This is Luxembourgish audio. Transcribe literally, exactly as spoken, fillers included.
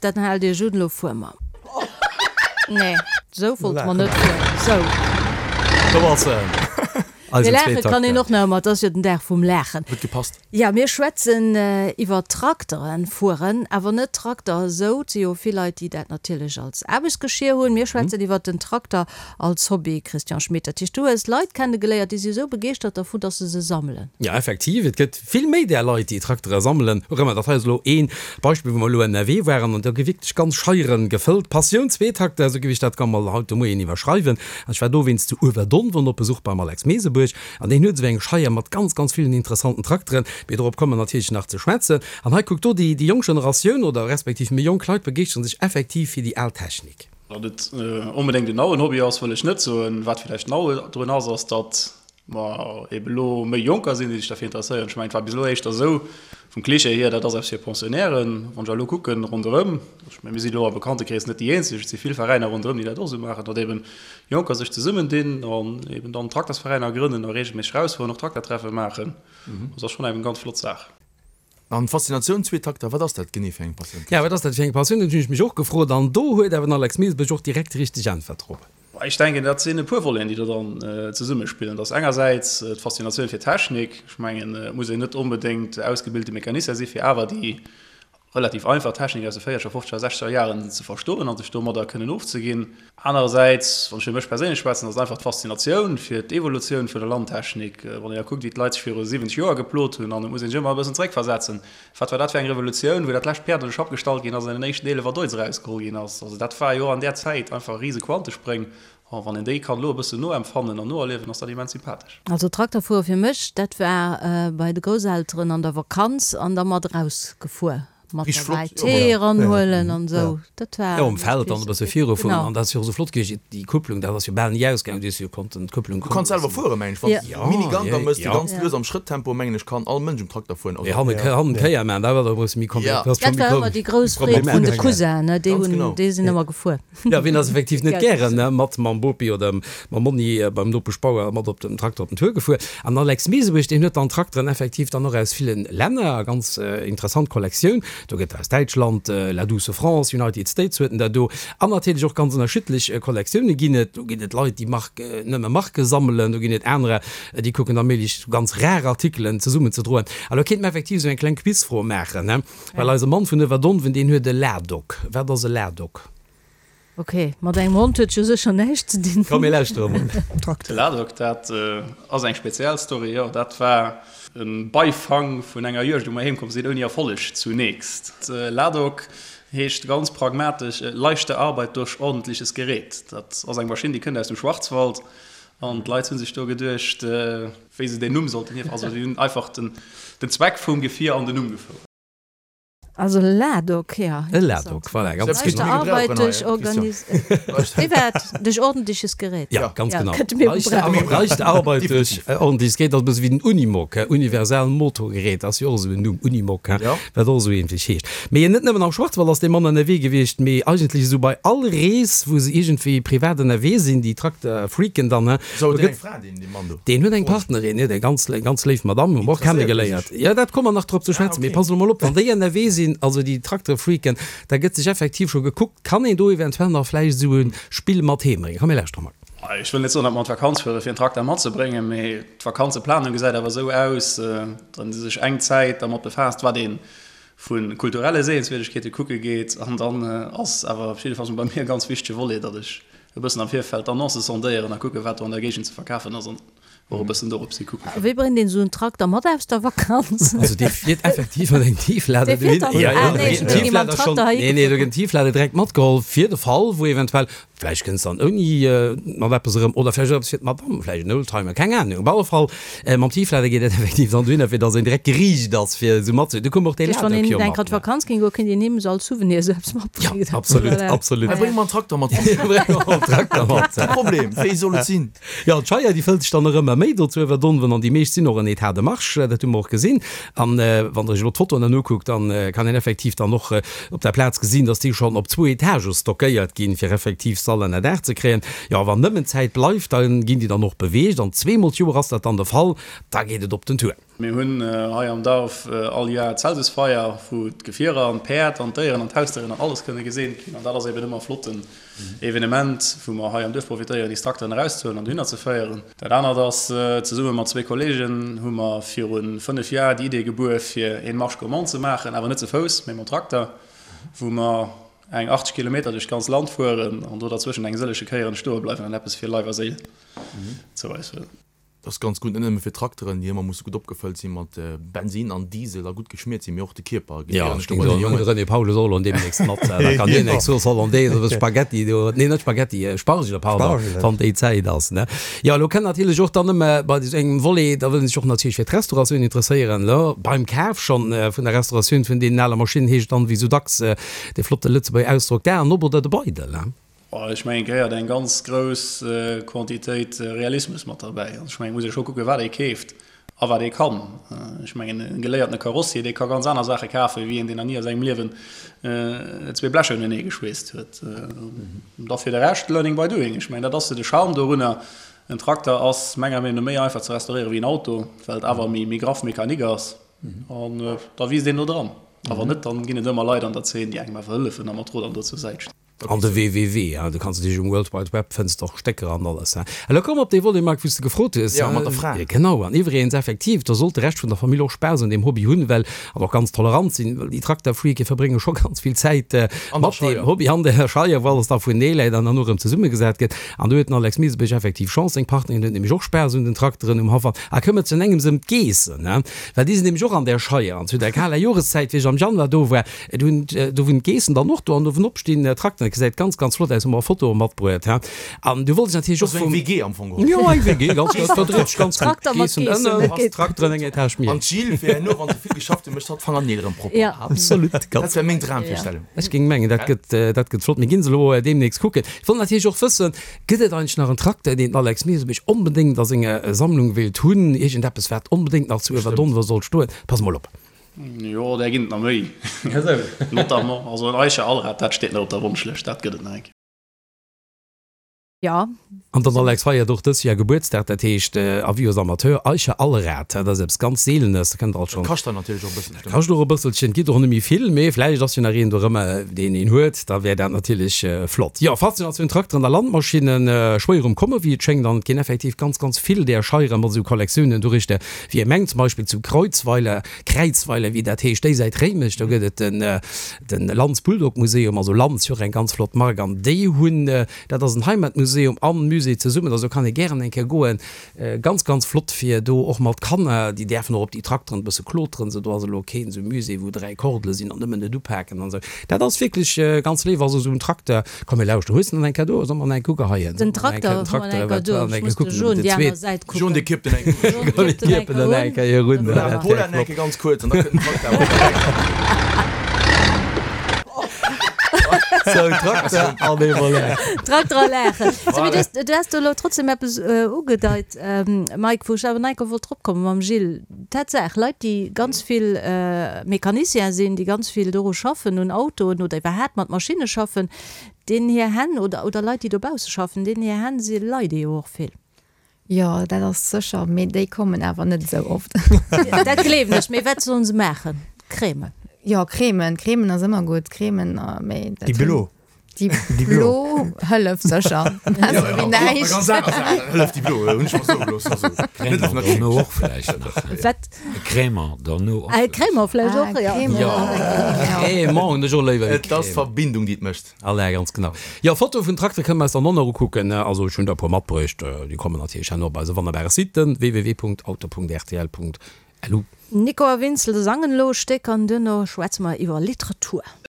Dann haalt Iech un, elo fuere mer. Nee, esou wollte mer net fueren. Sou. Do ass en. Mee Eisen laache kann een Zweetakter. och nach ëmmer, et ass jo den Dag vum Laachen. Huet gepasst. Jo, mir schwätzen iwwer Trakteren fueren, awer net Trakter esou. Et si jo vill Leit, déi dat natierlech als Aarbechtsgeschier hunn. Mir schwätzen iwwer den Trakter als Hobby, Christian Schmit. Dat heescht, du hues Leit kennegeléiert, déi si esou begeeschtert dervun, datt se se sammelen. Jo, effektiv, et gëtt vill méi där Leit, déi Traktere sammelen. Och ëmmer, dat hei ass elo ee Beispill, wou mer elo ënnerwee waren an do gi wierklech ganz Scheiere gefëllt. Passioun Zweetakter, esou géif ech dat gam mol haut de Moien iwwerschreiwen. An ech war dowéinst zu Uewerdonwen op Besuch beim Alex Meesebuerg an deen huet esou eng Scheier mat ganz, ganz villen interessanten Trakteren. Mee dorop komme mer natierlech nach ze schwätzen. An hei, kuckt do, déi jonk Generatioun oder respektiv méi jonk Leit begeeschteren sech effektiv fir déi al Technik. Datt et onbedéngt en nauen Hobby ass, wëll ech net soen. Wat villäicht nau drun ass, ass, datt mer ebe lo méi Jonker sinn, déi sech derfir interesséieren. Ech mengen, et war bis elo éischter esou, vum Klischee hier, dat ass eppes fir Pensionnairen. Wann ech elo kucken ronderëm, ech mengen, mir sinn elo am Bekanntekrees net déi eenzeg, et si vill Veräiner ronderëm, déi dat och esou maachen, datt eben Jonker sech zesummendinn an eben dann Traktersveräiner grënnen a reegelméisseg rausfueren, och Traktertreffe maachen. Dat ass schonn eng ganz flott Saach. An d'Faszinatioun zwee Takter, wat ass dat genee fir eng Passioun, Ja, wat Christian? ass dat fir eng Passioun? Dat hunn ech mech och gefrot. An do huet awer den Alex Mesebuerg och direkt déi richteg Äntwert drop. Ech denken, dat sinn e puer Voleten, déi do dann zesummespillen. Dat ass engersäits d'Faszinatioun fir d'Technik. Ech mengen, et muss een net onbedéngt ausgebilte Mecanicien si fir awer déi relativ einfach Technik aus de véierzeger, fofzeger, sechzeger Jaren ze verstoen an sech domadder kënnen ofzeginn. Anerersäits, wann ech fir mech perséinlech schwätzen, ass et einfach d'Faszinatioun fir d'Evolutioun vun der Landtechnik. Wann een da kuckt, wéi d'Leit sech viru siwwenzeg Joer geplot hunn, an et muss een sech ëmmer e bëssen zeréckversetzen, wat war dat fir eng Revolutioun, wou dat lescht Päerd an de Schapp gestallt ginn ass an den éischten Eelef Deutz erausgeholl ginn ass. Also dat war jo an där Zäit einfach rise Quantespréng. A wann een déi kann elo e bëssen noempfannen an noerliewen, ass dat immens sympathesch. Also Trakterfuere fir mech, dat war bei de Grousselteren an der Vakanz an da mat erausgefuer, mat Richteg derbäi flott, jo. Tee eranhuelen an esou. Dat war Jo, um Feld dann e bësse virufueren. Genau. An dat ass jo och esou flott gewiescht, déi Kupplung, dat ass jo bal ni ausgaangen, du hues jo konnten d'Kupplung Du kanns kommen selwer loossen. fueren, mengen ech. Wann s Ja. de Miniganker Ja, mëss, du ja. ganz Ja. lues am Schrëtttempo, mengen ech, kann all Mënsch um Trakter fueren. Mee Also, hannen, hannen Kéier maachen, dat war da e bësse méi Ja. komplizéiert. Dat ass Dat scho méi war ëmmer déi grouss Freed vun de problematesch. Cousinen, ne, déi Ganz hunn, genau. déi sinn ëmmer gefuer. Ja, wien ass effektiv net Gell. gären, ne, mat mam Bopi oder mam Monni beim Nopeschbauer mat op dem Trakter op den Tour gefuer. An Alex Meesebuerg, deen huet dann Trakteren effektiv dann och aus villen Länner, ganz interessant Kollektioun, do gëtt aus Däitschland, La douce France, United States huet en der do, an natierlech och ganz ënnerschiddlech Kollektioune ginn et. Do ginn et Leit, déi Mark, nëmme Marke sammelen, do ginn et anerer, déi kucken da méi ganz rar Artikelen zesummenzedroen. A lo kéinte mer effektiv esou eng kleng Quizfro maachen, ne, well eise Mann vun Uewerdonwen, deen huet e Ladok. Wat ass e Ladok? Ok, mat engem Hond huet jo sécher näischt ze dinn. Komm mir lauschtere mol. De Ladok, dat ass eng speziell Story, jo. Dat war e Beifang vun enger Juegd, wou mer heem komm sinn, ouni Erfolleg zunächst. Ladok heescht ganz pragmatesch leichte Arbeit durch ordentliches Gerät. Dat ass eng Maschinn, déi kënnt aus dem Schwarzwald an d'Leit hu sech do geduecht, wéi se deen Numm sollten hierf, also si hunn einfach den Zweck vum Gefier an den Numm gefouert. Also Ladok, jo, E Ladok, interessant. voilà, ganz Selbst genau. mir Leichte gebrauchen Arbeit durch hei, Christian. organis Wéi war et? Durch ordentliches Gerät. Ja, ganz Ja, genau. kënnte mir Leichte gebrauchen. Ar leichte Arbeit durch Definitiv. ordentliches Gerät, dat ass e bësse wéi den Unimog, he, universal Motorgerät, ass jo och esou en Numm, Unimog, he, Ja. wat och esou ähnlech heescht. Mee net nëmmen am Schwarzwald ass dee Mann ënnerwee gewiescht, mee eigentlech esou bei all Rees, wou se iergendwéi privat ënnerwee sinn, déi Trakterfreaken dann, he, Sou, do huet deen gëtt eng Fra, deen, dee Mann do? Deen huet eng Froen ech. Partnerin, jo, eng ganz, ganz léif Madame, hu mer och Interesséiert mech. kennegeléiert. Jo, dat komme mer nach drop ze Ah, schwätzen. Mee okay. pass elo mol op, wann déi ënnerwee sinn, also déi Trakterfreaken, da gëtt sech effektiv scho gekuckt, kann een do eventuell nach vläicht esou e Spill mat heem bréngen. Komm mir lauschteren mol. Ech wëll net soen, datt mer an d'Vakanz fuere fir en Trakter matzebréngen, mee d'Vakanzeplanung gesäit awer esou aus, datt ee sech eng Zäit dermat befaasst, wat ee vu kulturelle Sehenswierdegkeete kucke geet. An dann ass awer op jidde Fall bei mir e ganz wichtege Volet, datt ech e bëssen am Virfeld d'Annoncë sondéieren a kucke wat do an der Géigend ze verkafen ass an och e bëssen dorop si kucke. Wéi bréngt een esou en Trakter mat aus der Vakanz? Also dee fiert effektiv mat engem Tieflader Dee fiert dohin. dann? Ja, ja, Ah do nee, gëtt ech den hunn mam Tieflader schonn, Trakter nee, nee, do heigefuer. gëtt den Tieflader direkt matgeholl fir de Fall, wou eventuell, vläicht kënns dann ouni mat eppes erëm oder vläicht och eppes fir d'Madame, vläicht en Oldtimer, keng Ahnung. Op alle Fall, mam Tieflader geet et effektiv dann dohinner, fir datt een direkt geriicht ass, fir esou mat ze. Du koum och dee Dat heescht, wann Ladok een jo eng mat, Kéier an ne? d'Vakanz géing goen, kéint een him esou als Souvenir esou eppes Ja, matbréngen. absolut, Voilà. absolut. Hei, bréng mer en Trakter mat. Bréng mer en Trakter mat. Kee Problem, wéi soll et sinn? Jo, d'Scheier, déi fëllt sech dann och ëmmer méi do zu Iwwerdonwen an déi meescht sinn och en état de marche, dat hu mer och gesinn. An wann Der iech elo d'Fotoen dann ukuckt, dann kann een effektiv dann och op der Plaz gesinn, dass déi schonn op zwou Etagë stockéiert ginn, fir effektiv Sall ënnerdaach ze kréien. Jo, wann nëmmen Zäit bleift, da ginn déi dann och beweegt an zweemol d'Joer ass dat dann de Fall, da geet et op den Tour. Mir hunn hei am Duerf all Joer d'Celsusfeier, wou d'Gefierer an d'Päerd an d'Déieren an d'Hausdéieren an alles kënne geseent ginn. An dat ass eben ëmmer e flotten Evenement, wou mer hei am Duerf profitéieren, déi Trakteren erauszehuelen an dohinner ze féieren. Dat anert ass, zesumme mat zwee Kollegen hu mer viru fënnef Joer déi Idee gebuer, fir een Marche gourmande ze maachen, awer net ze Fouss, mee mam Trakter, wou mer eng achtzeg Kilometer duerch d'ganz Land fueren an do derzwëschen eng sëllege Kéieren stoe bleiwen an eppes fir Leif a Séil zou eis huelen. Dat ass ganz gutt, net nëmme fir d'Trakteren, déi ëmmer musse gutt opgefëllt si mat Bensin an Diesel a gutt geschmiert sinn, mee och de Kierper geet jo net dobäi. Jo, de René Paul ass och elo deemnächst mat, da kann hien eng Sauce Hollandaise oder Spaghetti do, nee net Spaghetti, Spargele, pardon, wann déi Zäit ass, ne. Jo, elo kënnt natierlech och dann ëmmer bei esou engem Volet, da wëll een sech och natierlech fir d'Restauratioun interesséieren, elo beim Kaf schonn vun der Restauratioun vun deenen ale Maschinnen heescht et dann, wéi esou dacks, dee flotte Lëtzebuerger Ausdrock, d'Aen op oder de Beidel, ne. Ech mengen, et gehéiert eng ganz grouss Quantitéit Realismus mat derbäi. Also ech mengen, et muss ee scho kucken, wat ee keeft a wat ee kann. Ech mengen, e geléiertene Karossier, dee ka ganz aner Saache kafen, wéi een, deen nach ni a sengem Liewen zwee Blecher unenee geschweesst huet. Da fir de Rescht, learning by doing. Ech mengen, dat ass de Charme dorunner. En Trakter ass menger Meenung no méi einfach ze restauréieren wéi en Auto, well et awer méi graff Mechanik ass. An da wiisst een do dran. A wann net, dann ginn et ëmmer Leit an der Zeen, déi engem awer hëllefen a mat Rot an Dot zur Säit stinn. An de www, hein, do kanns de natierlech um World Wide Web fënns de och Stécker an alles, hein. Elo komme mer op dee Volet, Marc, wou s de gefrot hues, Jo, mat der Fra. hein. Genau, an iwwregens effektiv, do sollt de Rescht vun der Famill och Spaass un deem Hobby hunn, well, an och ganz tolerant sinn, well déi Trakterfreake verbrénge scho ganz vill Zäit An der mat deem Scheier. Hobby an der Scheier, wou alles da vunee läit an dann och erëm zesummegesat gëtt. An do huet den Alex Miesebech effektiv Chance, seng Partnerin huet nämlech och Spaass un den Trakteren um Haff an a këmmert sech an engems ëm d'Geessen, hein, well déi sinn nämlech och an där Scheier. An zu der kaler Joreszäit, wéi ech am Januar do war, Do hunn, do hunn d'Geessen dann och do an uewen op stinn, Trakteren. Dat gesäit ganz, ganz flott aus. Hu mer Fotoe matbruet, he. An du wollt ech natierlech och vum. Eng W G am Fong geholl. Jo, eng W G, ganz, ganz, dat verdréit sech ganz gutt. Trakter mat Geessen Geessen, ënnen, dat geet. Trakteren eng Etage méi. An d'Jill fir herno, wann se vill geschafft hunn, mécht hatt d'Fangerneel erëm propper. Ja. Absolut, ganz. Dat wär meng Dramvirstellung. Ech géing mengen, dat gëtt, dat gëtt flott. Mir ginn se elo deemnächst kucken. Ech wollt natierlech och wëssen, Gëtt et eigentlech nach en Trakter, deen den Alex Meesebesch onbedéngt a senger Sammlung wéilt hunn? Iergendeppes, wat onbedéngt nach zu Uewerdonver sollt stoen? Pass mol op. Jo, där ginn et nach méi. Notamment, also en Eicher Allrad, dat steet nach op der Wonschlëscht, dat gëtt et nach eng Kéier. Jo. An den Alex feiert och dës Joer Gebuertsdag, dat heescht Avis aux amateurs, Eicher Allrad, dat ass eppes ganz Seelenes, da kënnt der alt schonn. Dat kascht dann natierlech och e bësselchen. Dat kascht och e bësselchen, et gitt och net méi vill, mee vläicht ass jo nach een dorëmmer, deen een huet, da wär dat natierlech flott. Jo, Faszinatioun Trakteren a Landmaschinnen, schwéier um Komme wéi et schéngt, an et ginn effektiv ganz, ganz vill där Scheiere mat esou Kollektiounen dorichter, wéi ee mengt, zum Beispill zu Kreuzweiler, Kräizweiler, wéi dat heescht, déi Säit Réimech, do gëtt et den, den Lanz Bulldog Museum, also Lanz, jo och eng ganz flott Mark, an déi hunn, dat ass en Heimatmuseum an Musée zesummen, also do kann ee gären eng Kéier goen, ganz, ganz flott fir do och mat Kanner, déi däerfen och op déi Trakteren e bësse kloteren, sou do ass elo keen esou Musée wou dräi Kordele sinn an nëmmen net upaken an esou, dat ass wierklech ganz léif, also esou en Trakter, komm mir lauschteren, hues de nach eng Cadeau, soll mer nach eng ugeheien, Den Trakter, hu mer nach eng Cadeau, ech muss de John déi aner Säit kucken. John, dee kippt en eng John kippt en eng Kéier un. Paula nach eng Kéier ganz kuerz an da kënnt den Trakter awer direkt. Sou, Trakter an ee Volet. Trakter a Laachen. Sou, mee du hues, du has do elo trotzdem eppes ugedeit, Mike, wou ech awer nach eng Kéier wollt drop kommen mam Gilles. Tatsaach, Leit, déi ganz vill Mécaniciens sinn, déi ganz vill doru schaffen, un Autoen oder iwwerhaapt mat Maschinne schaffen, deenen hir Hänn, oder, oder Leit, déi dobausse schaffen, deenen hir Hänn si leide jo och vill. Jo, dat ass sécher, mee déi kommen awer net esou oft. Dat gleewen ech. Mee wat sollen se maachen? Cremen? Jo, Cremen. Cremen ass ëmmer gutt. Cremen, mee dat Déi blo. Déi blo hëlleft sécher. Besser wéi näischt. Ganz aner Saachen hëlleft déi blo, hunn ech mer soe gelooss. Also, net Crémant dono och vläicht nach. Wat? Crémant dono och. Ah, Crémant vläicht och, jo. Jo, Crémant hunn ech och léiwer wéi Et ass Crème. d'Verbindung, déi et mécht. Alain, ganz genau. Jo, Fotoe vun Traktere kënne mer eis dann och nach ukucken. Also ech hunn der e puer matbruecht. Déi kommen natierlech herno op eise wonnerbare Site, www.auto.rtl.lu. Nico a Vincel sangen elo e Stéck an duerno schwätze mer iwwer Literatur.